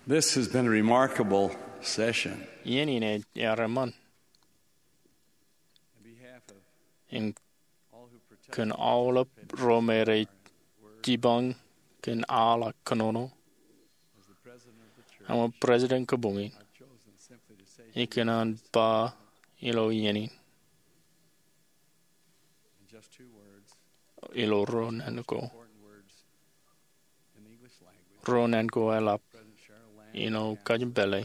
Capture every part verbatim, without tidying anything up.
This has been a remarkable session. Iien in ej ear eṃṃan. In kōn aolep ro me rej jipañ kōn al ak kōnono, im eo President kabuñ in, ikōṇaan ba ilo iien in ilo ruo naan ko, ruo naan ko eḷap ilo kajin pālle.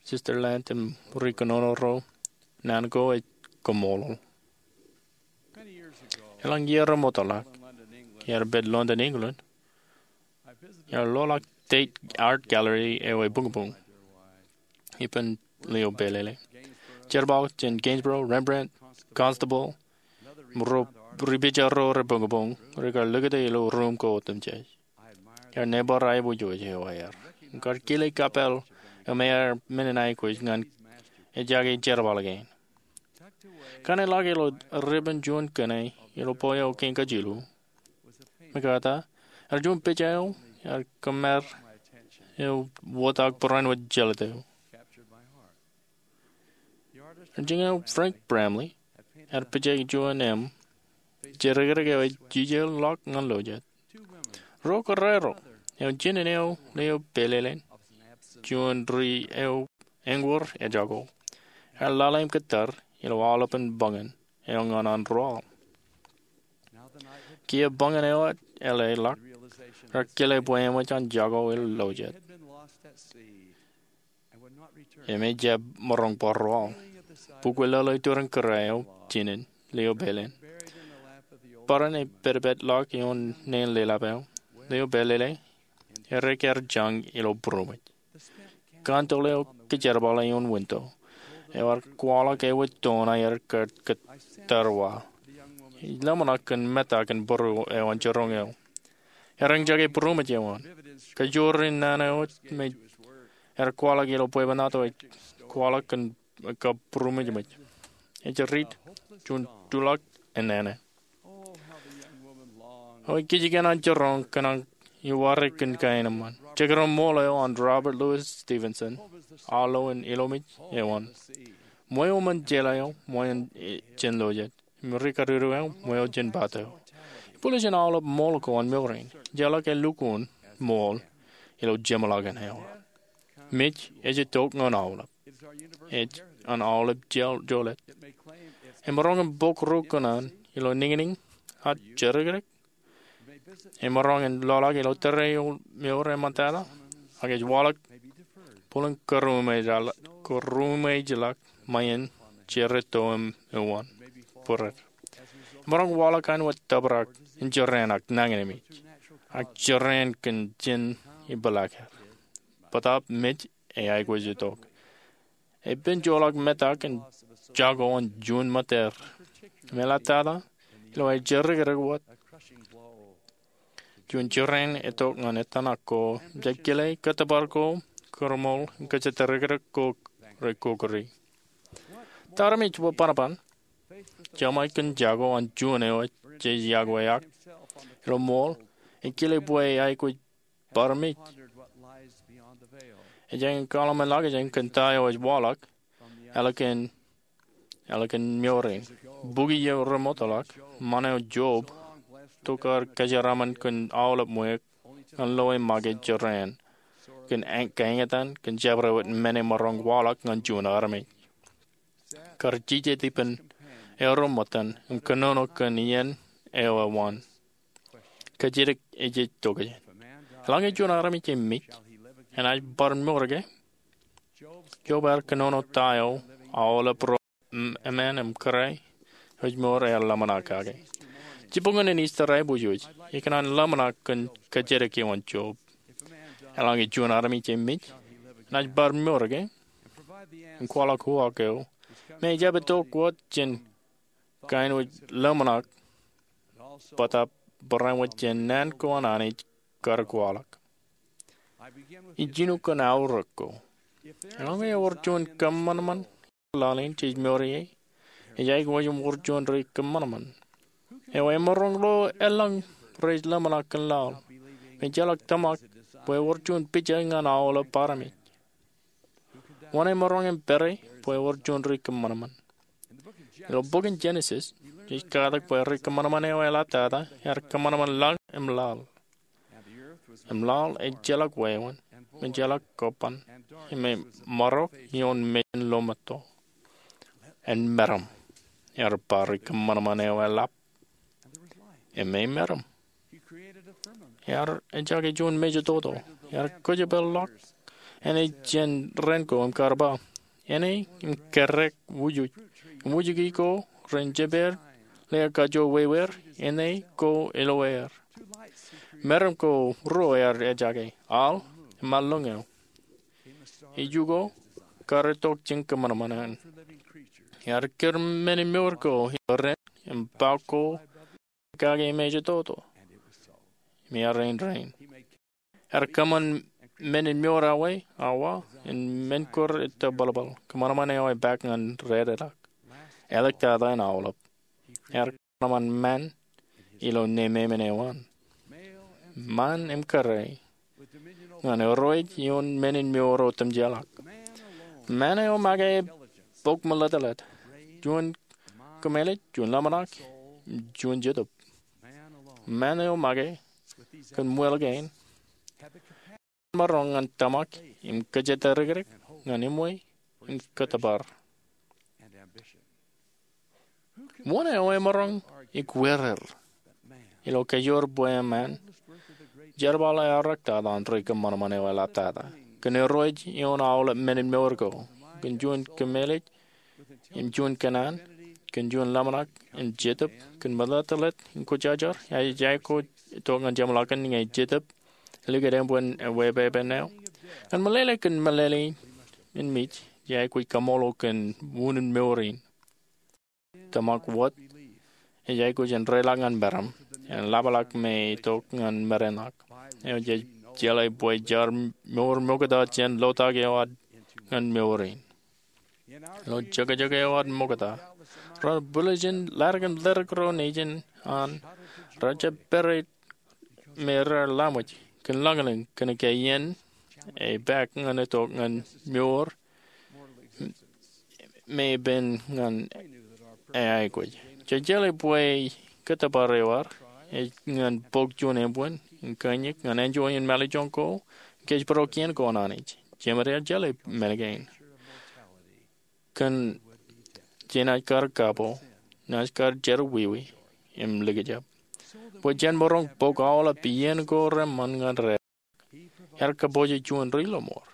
Sister Lant im ri kōnono ro, naan ko ej kaṃṃoolol. Eḷaññe iiō remootḷọk, iar pād London, England, iar loḷọk Tate Art Gallery eo ebuñbuñ ippān lio pālele. Jerbal jān Gainsborough, Rembrandt, Constable, im ro ri pija ro rebuñbuñ, rekar likūt ilo ruum ko otemjej. Iar neighbor aiboojoj eo aer, im kar kile kapeel eo me ear men in aikuj ñan ejjake jerbal kein. Kaṇe ḷak ilo ribbon juon kōṇe ilo bwe eo kein kajilu, MacArthur, ear juon pija eo ear kōṃṃar eo wōt ak barāinwōt jelōt eō. Ear jiñao Frank Bramley ear pija juon im jerōkrōk eo ej jijeḷọk ñan lojet. Ro kōrā ro, eo jinen eo lio pālele, juon ri eo eñwōr ejako, ear lale im kōttar ilo aolepen bañin eo ñan an ruwaḷ. Kiiō bañin eo eḷḷọk, rear kile bwe eṃōj an jako ilo lojet im ejjab maroñ bar ruwaḷ. Bukwi lōḷō iturin kōrā eo jinen lio pālele. Barāinwōt epetpetḷọk ioon neen lelap eo lio pālele, errā ear jañ ilo būroṃōj. Kandel eo kajerbale ioon winto eo ear kwaḷọk ewōr toon aer kar kōttar wa. Ij ḷōmṇak kōn metak in būruo eo an jiroñ eo. Ear eñjake būroṃōj eo an. Kajoor in naan eo me ear kwaḷọk ilo bwebwenato ej kwaḷọk kōn kab būroṃōjṃōj. Ej riit juon tulọk enana. O ej kijeek an jiroñ kōṇaan iwōj kōn kain eṃṃan. Jekdọọn ṃool eo an Robert Louis Stevenson, aolep in ilomej eo an. Ṃweo ṃōn jeḷā eo ṃweo jān lojet im ri kariru eo ṃweo jān bato. Ibwiljin aolep ṃool ko an mour in, ejjeḷọk elukkuun ṃool ilo jeṃḷọkin eo. Mej ej itok ñan aolep. Ej an aolep joḷọk. Emaroñ in bōk ro kōṇaan ilo niñniñ ak jerōkrōk. Emaroñ in loḷọk ilo tōre eo mour eṃṃantata, ak ej waḷọk bōlen kōrūṃwejḷọk ṃae in jeraato im uwaan būreer. Emaroñ waḷọk āinwōt tōprak in jeraan ak nañinmej, ak jeraan kōn ijin ipḷaak er. Bōtaab mej ej aikuj itok. Epen joḷọk metak in jako an juon ṃōtteer. Im eḷaptata ilo aer jerōkrōk wōt, juon jeraan etok ñan etan ak ko, im jej kile kōttōpar ko, kōrōṃool im kōjatdikdik ko rekokri. Ta armej bwe bōnbōn jeṃḷọk kōn jako an juon eo jej iakwe ak ilo ṃool, ekile bwe aikuj bar mej. Ejāñin kaḷmenḷọkjeṇ kōn ta eo ej waḷọk ālikin, ālikin mour in. Bukwi eo remootḷọk, ṃaan eo Job, tokar kōjeraaṃṃan kōn aolep ṃweiuk ñan loe make jeraan kōn kaeñtaan kōn jabdewōt men emaroñ waḷọk ñan juon armej. Kar jijet ippān eo ri ṃōttan im kōnono kōn iien eo ewōn. Kōjatdikdik ej tokjān. Eḷaññe juon armej ej mej, enaaj bar mour ke? Job ear kōnono ta eo aolep ro, eṃṃan im kōrā eo ej mour ear ḷōmṇak kake. Jibboñōn in Easter aiboojoj, ikōṇaan ḷōmṇak kōn kōjatdikdik eo an Job. Eḷaññe juon armej ej mej, enaaj bar mour ke? Im kwaḷọk uwaak eo me ejjab itok wōt jān kain wōj ḷōmṇak, bōtaab barāinwōt jān naan ko an Anij kar kwaḷọk. Ij jino kōn aorōk ko. Eḷaññe ewōr juon kōṃanṃan laḷ in jej mour ie, ej aikuj im wōr juon rej kōṃanṃan. Eo emaroñ lo elōñ rej ḷōmṇak kōn laḷ? Mejeḷọk tōmak bwe ewōr juon pija ñan aolep armej. Wōn emaroñ im pere bwe ewōr juon ri kōṃanṃan? Ilo bok in Jenesis, jej katak bwe ri kōṃanṃan eo eḷaptata ear kōṃanṃan laḷ im laḷ. Im laḷ ejjeḷọk wāween, im ejjeḷọk kobban, im emarok ioon mejān lọmeto. En meram, ear ba ri kōṃanṃan eo eḷap. Im e meram. Ear ejjake juon mejatoto. Ear kōjparok āne jān raan ko im kar ba, āne im kōrā wūjoj, im wūjiki ko ren jepeer, lea kajoor wāween, āne ko ilo aer. Meram ko ruo ear ejjake, al im alloñ eo. Iju ko kar itok jān kōṃanṃan eṇ. Ear kūr men in mour ko ilo raan im ba ko kake mejatoto. Im ear rein rein. Ear kōṃṃan men in mour awa, awa, im men ko ettōbalbal, kōṃanṃan eo epaak ñan rādeḷọk. Eḷaptata in aolep, ear kōṃanṃan ṃaan ilo nemāmein eo an. Ṃaan im kōrā, ñan irooj ioon men in mour otemjeḷọk. Ṃaan eo make bok melettelet, juon kōmālij, juon ḷōmṇak, juon jetōb. Ṃaan eo make kōn ṃweo kein, maroñ ñan tōmak im kōjatdikdik ñan eṃṃan im kōttōpar. Wōn eo emaroñ ikweer er ilo kajoor bwe eṃṃan jerbal eaorōk tata an ri kōṃanṃan eo eḷaptata kōn irooj ioon aolep men in mour ko, kōn juon kōmālij im juon kōnnaan, kōn juon ḷōmṇak im jetōb, kōn melettelet im kwōjarjar? Ij aikuj itok ñan jeṃḷọkin ñe jetōb elikūt eṃṃan ewepepen eo. Ñan meḷeḷe kōn meḷeḷe in mej, ij aikuj kaṃṃoolol kōn wūnin mour in. Tōmak wōt ej aikuj in reiḷọk ñan meram, im ḷapḷọk me itok ñan merenḷọk. Eo jej jeḷā bwe jaar mour mokta jān lotak eo ad ñan mour in. Ilo jokjok eo ad mokta, ro bwiljin ḷadik im ḷadik ro nejin an, rejjab pere me raar laṃōj kōn lañlōñ kōnke iien epaak ñan itok ñan mour me epen ñan eaikuj. Jej jeḷā bwe kōttōpar eo ad ej ñan bōk juon eṃṃan im kōnñak ñan enjoy in mālejjoñ ko, kōjparok iien ko an Anij. Jemed ear jeḷā men kein. Kōn jenaaj kar kapo, naaj kar jerọwiwi im likjab. Bwe jen maroñ bōk aolep iien ko reṃṃan ñan rā, ear kōpooje juon ri lọmọọr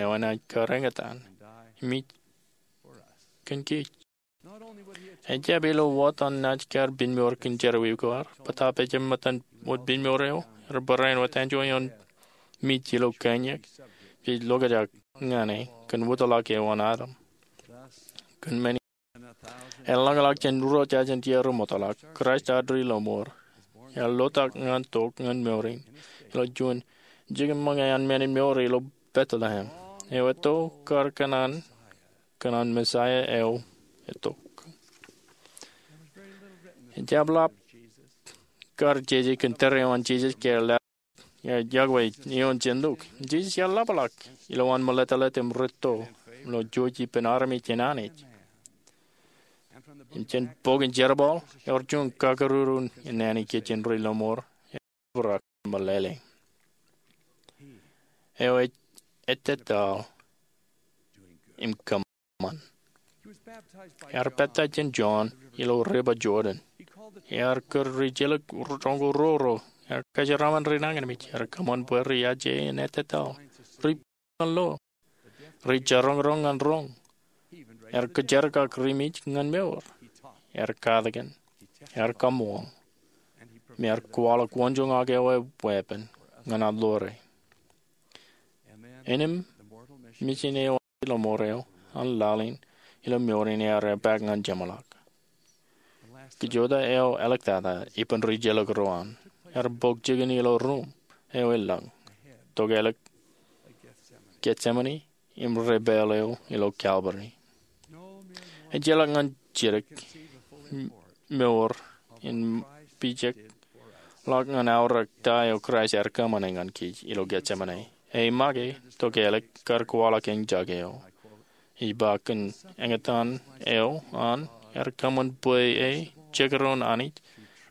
eo enaaj kar eñtaan im mej kōn kōj. Ejjab ilo wōt an naaj kar piñmour kōn jerọwiwi ko ad, bōtaab ejjab ṃōttan wōt piñmour eo, ear barāinwōt enjoy ioon mej ilo kōnñak. Jej lokjak ñan e kōn wōtlọk eo an Adam. Kōn men in, eḷaññe ḷọk jān ruo jajin tier ri ṃootḷọk, Kraist ad ri lọmọọr ear lotak ñan tok ñan mour in ilo juon jikin ṃōñā an men in mour ilo Bethlehem. Eo etto kar kōṇaan kōn an Messiah eo etok. Ejjab ḷap kar jeje kōn tōre eo an Jisōs ke ear lale, ear iọkwe ioon jān Luk. Jisōs ear ḷapḷọk ilowaan meḷeḷeḷe im rūtto ilo jouj ippān armej jān Anij. Im jān bok in Jerbal ewōr juon kakaruru in naan ikijjien ri lọmọọr eo ear ḷapḷọk meḷeḷe. Eo ej ettetaḷ im kōṃṃan. Ear pāptaij jān Jon ilo river Jordan. Ear kūr ri jelōk roñoul ruo ro. Ear kōjeraaṃṃan ri nañinmej. Ear kōṃṃan bwe ri aje in ettetaḷ, ri pād ñan lo, ri jaroñroñ ñan roñ. Ear kōjerkak ri mej ñan mour. Ear katakin, ear kaṃṃool, im ear kwaḷọk waanjoñak eo eweeppān ñan ad ḷoore. Innām, mijin eo an ri lọmọọr eo an laḷ in ilo mour in ear epaak ñan jeṃḷọk. Kajjitōk eo eḷaptata ippān ri jelōk ro an, ear bōk jikin ilo ruuṃ eo elōñ, tok ālikin Getsemane im repāl eo ilo Kalvari. Ejjeḷọk ñan jidik mour in pijak ḷọk ñan aorōk ta eo Kraist ear kōṃṃane ñan kōj ilo Getsemane. Ej make, tok ālikin kar kwaḷọk eñjake eo. Ij ba kōn eñtaan eo an ear kōṃṃan bwe e jekdọọn Anij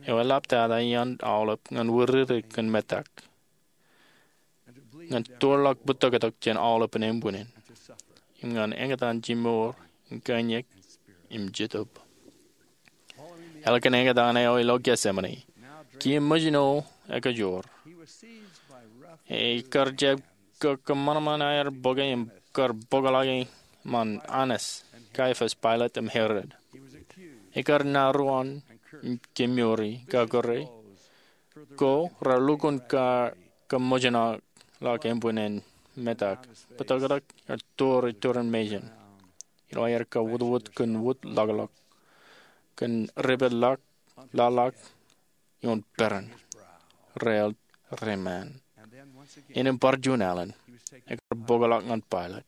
eo eḷaptata iaan aolep ñan wūrere kōn metak, ñan tōrḷọk bōtōktōk jān aolepān embwinnin, im ñan eñtaan jimmour in kaiñak im jetōb. Ālikin eñtaan eo ilo Getsemane, kiiō ṃōjṇo ekajoor. Ekar jab kōṃanṃan aer bōke im kar bōkḷọke ṃaan Annas, Kaiapas, Pailat im Herod. Ekar naruon im kemouri, kakūre, ko raar lukkuun kōṃōjṇọ ḷọk embwinnin metak, bōtōktōk, ej tōre turin mejān, ilo aer kawūtwūt kōn wūtḷọkḷọk, kōn ripād ḷọk, laḷḷọk ioon peran, rael ri ṃaan. Innām bar juon alen, ekar bōkḷọk ñan Pailat,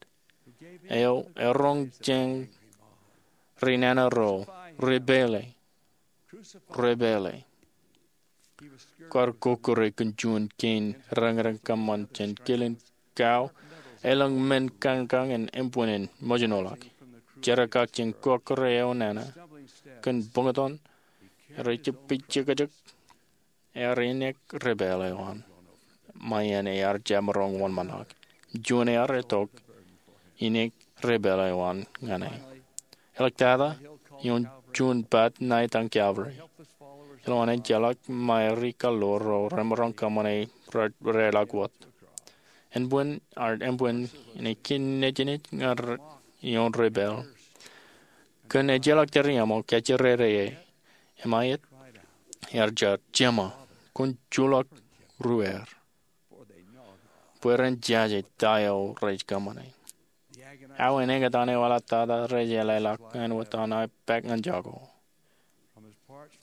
eo eroñ jān ri nana ro, Repāle, repāle. Kar kokkure kōn juon kein reñreñ kōṃṃan jān kilin kao elōñ men kañkañ in embwinnin ṃōjṇoḷọk. Jerkakakjeṇ kokkure eo nana, kōn buñtōn, rej jab pijekjek, ear inek repāle eo an, ṃae en ear jab maroñ wōnṃaanḷọk. Juon ear itok, inek repāle eo an ñan e. Āliktata, ioon juon bat ṇa etaṃ Calvary, ilowaan ejjeḷọk ṃae ri-kaḷoor ro remaroñ kōṃṃane raeḷọk wōt. Embwin, ar embwin in ekin nejnej ñan ioon repāle, kōn ejjeḷọk tōre iṃōk ejirere e. Im aet, ear jar, Jema, kwōn juḷọk ruwaer, bwe ren jaje ta eo rej kōṃṃane. Awa in eñtaan eo eḷaptata rej ālōkḷọk āinwōt an aō pād ñan jako.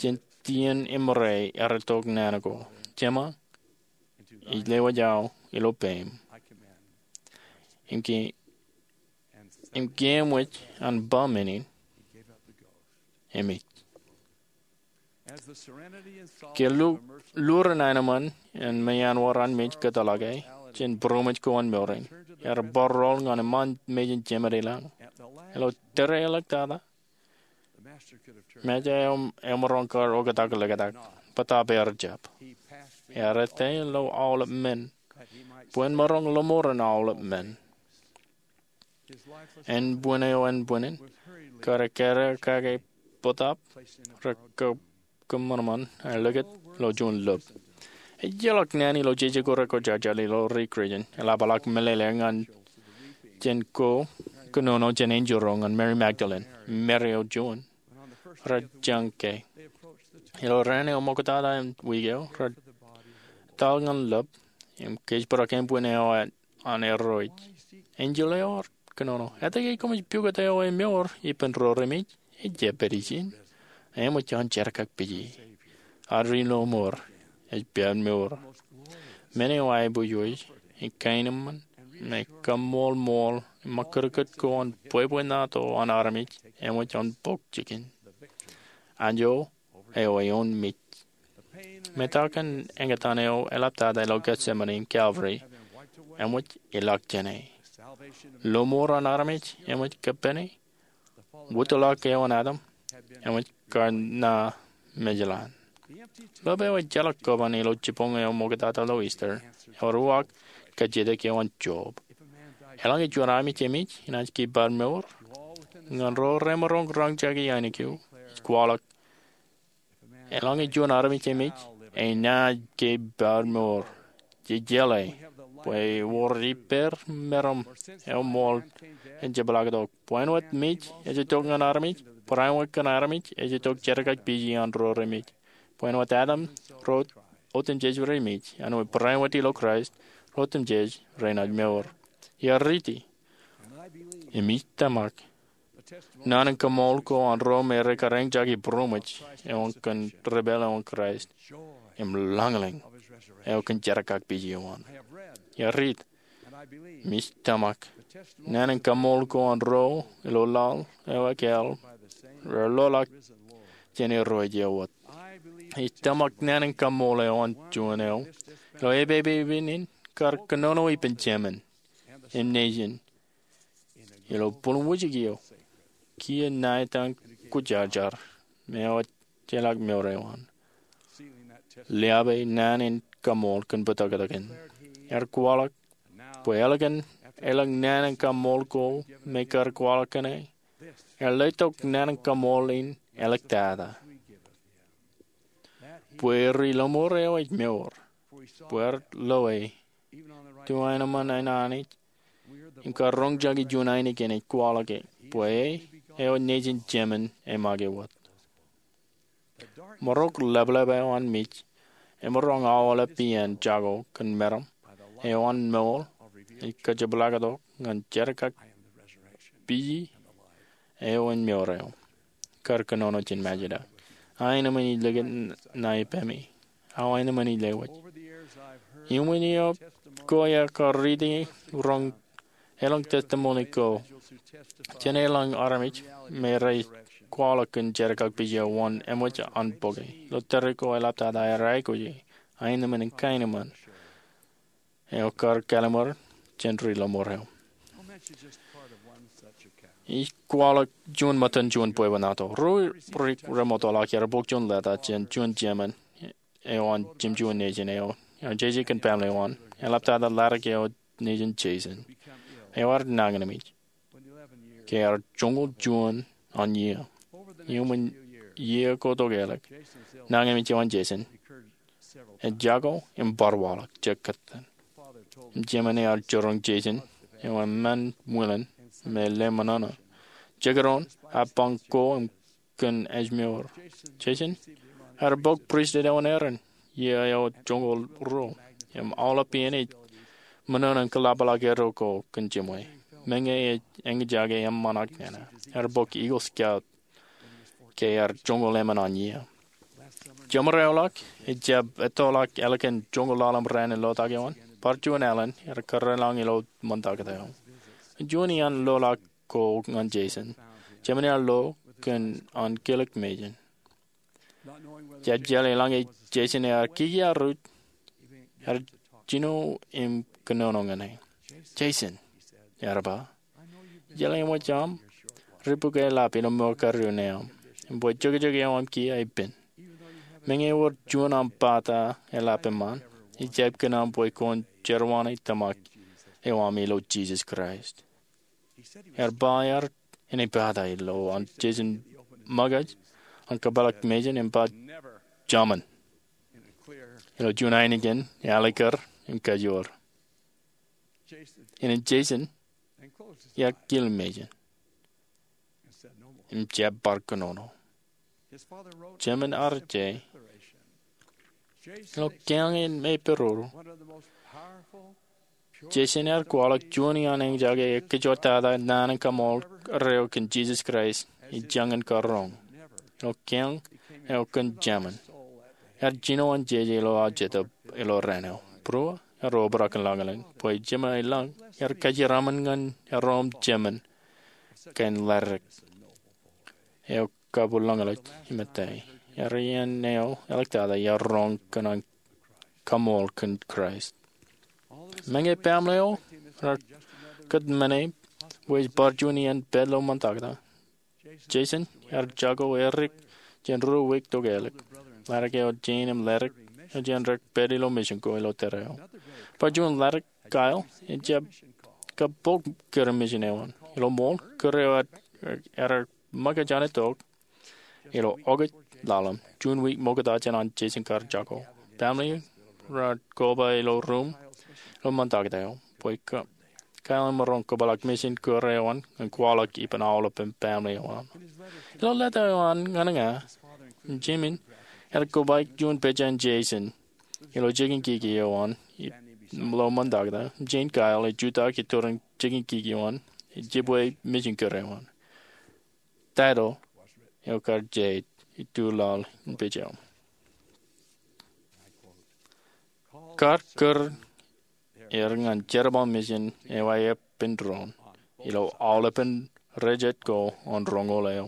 Jān tiōn ṃōrā ear itok naan ko, Jema, ij lewōj aō ilo peiṃ. Im ke, im ke eṃōj an ba men in, emej. Ke lu-, lurin aenōṃṃan in meanwōr an mej kōtḷọk e jān būroṃōj ko an mour in, ear bar rool ñan eṃṃan mejān jemed ilañ. Ilo tōre āliktata, Mej eo, emaroñ kar oktak liktak, bōtaab ear jab. Ear ettā ilo aolep men, bwe en maroñ lọmọọren aolep men. Ānbwin eo ānbwinnin, kar ekkā kake bōtaab, re kōṃanṃan, ear likūt ilo juon lōb. Ejjeḷọk naan ilo jeje ko rekwojarjar ilo ri-Kūrjin, eḷapḷọk meḷeḷe ñan jān ko kōnono jān enjeḷ ro ñan Mary Magdalene, Mary eo juon, rej jañin ke. Ilo raan eo ṃoktata im wiik eo, rej etal ñan lōb, im kōjparok ānbwin eo an erro ej. Enjeḷ eo ear kōnono, etke koṃij pukot eo emour ippān ro remej? Ejjab pād ijin. Eṃōj an jerkakpeje. Ad ri-lọmọọr ej pād mour. Men eo aiboojoj, im kaenōṃṃan, im kaṃṃoolṃool, im ṃakūtkūt ko an bwebwenato an armej, eṃōj an bok jikin. Anjo eo eoon mej. Metak in eñtaan eo eḷaptata ilo Gethsemane im Calvary, eṃōj ilọk jāne. Lọmọọr an armej, eṃōj kōppāne. Wūtḷọk eo an Adam, eṃōj kar ṇa mejḷan. Lōb eo ejjeḷọk kōban ilo jibboñ eo ṃoktata ilo Easter, ewōr uwaak kajjitōk eo an Job. Eḷaññe juon armej emej, enaaj ke bar mour? Ñan ro remaroñ rañjake ainikien, ij kwaḷọk, eḷaññe juon armej emej, enaaj ke bar mour. Jejeḷā bwe ewōr ippāer meram eo ṃool ejjab ḷak tok. Bwe āinwōt mej ej itok ñan armej, barāinwōt kōn armej ej itok jerkakpeje an ro remej. Bwe āinwōt Adam ro otemjej remej, āinwōt barāinwōt ilo Kraist ro otemjej renaaj mour. Iar riiti, im ij tōmak, naan in kaṃool ko an ro me rekar eñjake būroṃōj eo an kōn repāl eo an Kraist, im lañlōñ eo kōn jerkakpeje eo an. Iar riit, im ij tōmak, naan in kaṃool ko an ro ilo laḷ eo ekāāl, rear loḷọk jān erro eo wōt. Ij tōmak naan in kaṃṃool eo an juon eo ilo epepepen in kar kōnono ippān Jemān im nejin ilo būlwujek eo kiiō ṇa etan kwōjarjar me ewōr jeḷā mour eo an. Liabe naan in kaṃṃool kōn bōtōktōkin ear kwaḷọk bwe ālikin elōñ naan in kaṃṃool ko me kar kwaḷọk kōn e, ear letok naan in kaṃṃool in āliktata bwe ri lọmọọr eo ej mour, bwe ear loe to aenōṃṃan an Anij im kar roñjake juon ainikien ej kwaḷọke bwe e eo nejin Jemān e make wōt. Ṃōrok ḷapḷap eo an mej emaroñ aolep iien jako kōn meram eo an ṃool ej kōjepḷaaktok ñan jerkakpije eo an mour eo kar kōnono jān Majida. Aenōṃṃan in ij likūt ṇa ippaṃ. Aenōṃṃan in ij lewōj. Iuṃwin iiō ko iar kar riiti roñ elōñ testimony ko jān elōñ armej me rej kwaḷọk kōn jerkakpije wōn eṃōj an bōke. Ilo tōre ko eḷaptata ear aikuji aenōṃṃan in kaenōṃṃan eo kar kallimur jān ri lọmọọr eo. Ij kwaḷọk juon ṃōttan juon bwebwenato. Ruo ri remootḷọk ear bōk juon lōta jān juon Jemān eo an jemjuon nejin eo ear jeje kōn baaṃle eo an. Eḷaptata ḷadik eo nejin Jason eo ear nañinmej ke ear joñoul juon an iiō. Iuṃwin iiō ko tokālik, nañinmej eo an Jason ej jako im bar waḷọk jekdọọn. Im Jemān ear jiroñ Jason eo eṃṃan wilen me le ṃōṇōṇō. Jekdọọn a bañ ko im kōn ājmour. Jason ear bōk pristut eo an Aaron iiō eo joñoul ruo im aolep iien ej ṃōṇōṇō in kōḷapḷọk eddo ko kōn jemwe. Meñe ej eñjake eṃṃan ak nana, ear bōk Eagle Scout ke ear joñoul emān an iiō. Jemāraerḷọk ejjab ettoḷọk ālikin joñoul ḷalem raan in lotak eo an, bar juon alen ear kōrā lañ ilo ṃantak eo. Juon iaan loḷọk ko ñan Jason, Jemān ear lo kōn an kilik mejān. Jab jeḷā eḷaññe Jason ear kikiaruj, ear jino im kōnono ñan e. Jason, ear ba, ij jeḷā eṃōj aṃ ripukweḷap ilo mour kariōn eo aṃ im bwe jokjok eo aṃ kiiō epen. Meñe ewōr juon aṃ bata eḷap eṃṃan, ij jab kōn aṃ bwe kwōn jerọwiwi tōmak eo aṃ ilo Jisōs Kraist. Ear ba ear inepata ilo an Jason ṃōkaj an kōpeḷḷọk mejān im ba, Jaman, ilo juon ainikien alikar im kajoor. Innin Jason ear kil mejān im jab bar kōnono. Jemān ear je ilo kiañ in me peruru. Jason ear kwaḷọk juon iaan eñjake ekkejotata naan in kaṃṃooltata eo kōn Jisōs Kraist ej jañin kar roñ. Ilo kiañ eo kōn Jemān, ear jino an jeje ilo aō jetōb ilo raan eo. Būruō ear obrak in lañlōñ bwe Jemān ilañ ear kajeraṃṃan ñan erom Jemān kain ḷaddik eo kabwilōñlōñ im ettā. Ear iien eo eḷaptata ear roñ kōn an kaṃṃool kōn Kraist. Meñe baaṃle eo raar kōtmāne bwe ej bar juon iien pād ilo ṃantakta, Jason ear jako edik jān ruo wiik tokālik. Ḷadik eo jein im ḷadik eo jān dik pād ilo mission ko ilo tōre eo. Bar juon ḷadik, Kyle, ejjab kabok kūr eo mission eo an. Ilo ṃool, kūr eo ear ṃōkaj an itok ilo okōj ḷalem, juon wiik ṃokta jān an Jason kar jako. Baaṃle raar koba ilo ruum ilo ṃantakta eo bwe Kyle en maroñ kōpeḷḷọk mission kūr eo an ñan kwaḷọk ippān aolepān baaṃle eo an. Ilo leta eo an ñan ña, Jemān ear kobaik juon pejān Jason ilo jikin kiki eo an ilo ṃantakta. Jein Kyle ej jutak iturin jikin kiki eo an ej jibwe mission kūr eo an. Title eo kar je ituḷaḷ in pejān, Kar kūr er ñan jerbal mission eo aer pen doon ilo aolepān rejjet ko an roñoul eo.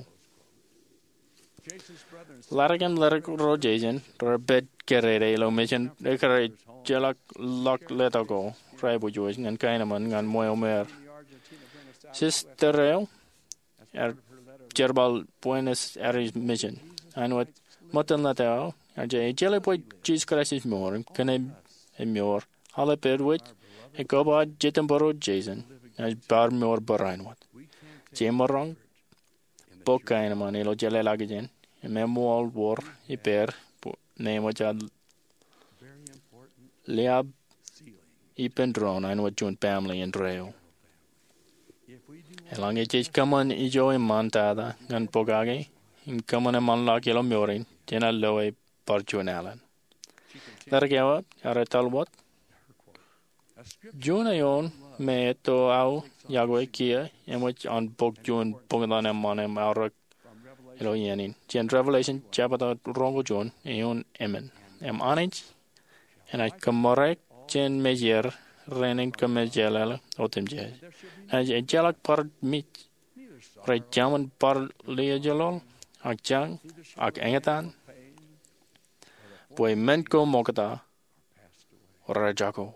Ḷadik im ḷadik ro Jeisen rej pād kōrā ilo mission ekar ejjeḷọk ḷọk letok ko rej aiboojoj ñan kaenōṃṃan ñan ṃweo ṃweer. Sister eo ear jerbal Buenos Aires Mission. Āinwōt ṃōttan letok eo, ear jeḷā bwe Jisōs Kraist ej mour im kōn ej mour, aolep āinwōt ej kōpooj Jetōnbōro Jeisen ej bar mour barāinwōt. Jemaroñ bōk kaenōṃṃan ilo jeḷāḷọkjeṇ im eṃṃool wōr ippāer bwe eṃōj ad liab ippān doon āinwōt juon baaṃle indeeo. Eḷaññe jej kōṃṃan ijo eṃṃantata ñan pokake im kōṃṃan eṃṃanḷọk ilo mour in, jenaaj loe bar juon alen. Ḷadik eo ear etal wōt, juon eoon me etto aō yokwe kiiō eṃōj an bōk juon boktan eṃṃan im aorōk ilo iien in jān Revelation jebta roñoul juon, eoon emān. Im Anij enaaj kōṃṃoorōk jān meijeer rein in kōmmejeḷāḷọk otemjej. Enaaj ejjeḷọk bar mej, rej jemān bar liaajlọl, ak jañ, ak eñtaan, bwe men ko ṃokta rej jako.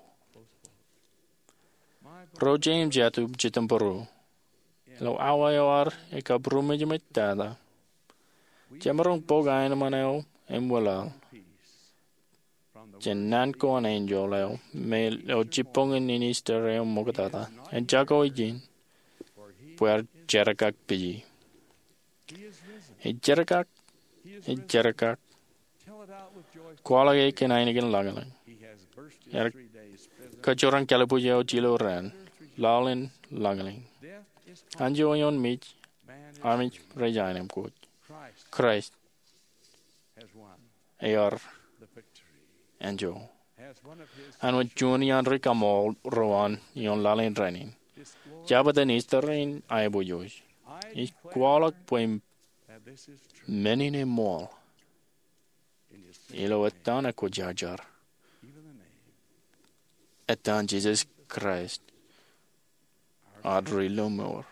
Ro jet im jatū Jetōnbōro, ilo awa eo ad ekabūroṃōjṃōj tata, jemaroñ bōk aenōṃṃan eo im wōlaḷ jān naan ko an enjeḷ eo me ilo jibboñin in Easter eo ṃoktata, en jako ijin, bwe ear jerkakpeje. Ej jerkak, ej jerkak. Kwaḷọk e kōn ainikien lañlōñ. Ear kōjerañ kalbuuj eo jilōran, laḷ in lañlōñ. Anjọ eoon mej, armej rej aenōṃṃan kōj. Kraist ear anjọ. Āinwōt juon iaan ri-kaṃool ro an ioon laḷ in rainin, jabōt in Easter in aiboojoj, ij kwaḷọk bwe men in eṃṃool ilo etan ekwōjarjar, etan Jisōs Kraist, ad Ri-lọmọọr.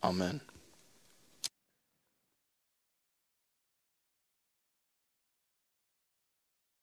Amen.